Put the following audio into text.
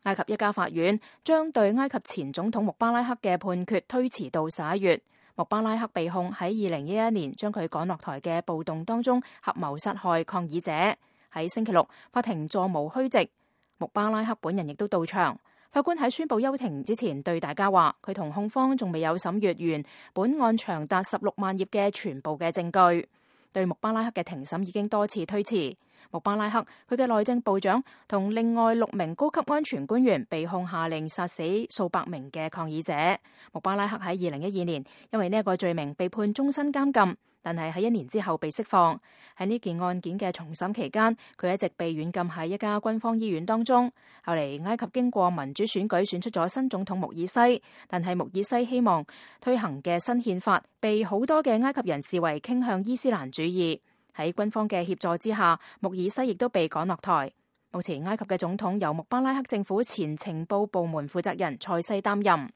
埃及一家法院將對埃及前總統穆巴拉克嘅判決推遲到11月。穆巴拉克被控喺2011年將佢趕落台嘅暴動當中合謀殺害抗議者。喺星期六，法庭座無虛席，穆巴拉克本人亦都到場。法官喺宣布休庭之前對大家話，佢同控方仲未有審閱完本案長達16萬頁嘅全部嘅證據。對穆巴拉克嘅庭審已經多次推遲。穆巴拉克、佢嘅內政部長同另外6名高級安全官員被控下令殺死數百名嘅抗議者。穆巴拉克喺2012年因為呢一個罪名被判終身監禁，但係喺1年之後被釋放。喺呢件案件嘅重審期間，佢一直被軟禁喺一家軍方醫院當中。後嚟埃及經過民主選舉選出咗新總統穆爾西，但係穆爾西希望推行嘅新憲法被好多嘅埃及人視為傾向伊斯蘭主義。喺軍方嘅協助之下，穆爾西亦都被趕落台。目前埃及嘅總統由穆巴拉克政府前情報部門負責人塞西擔任。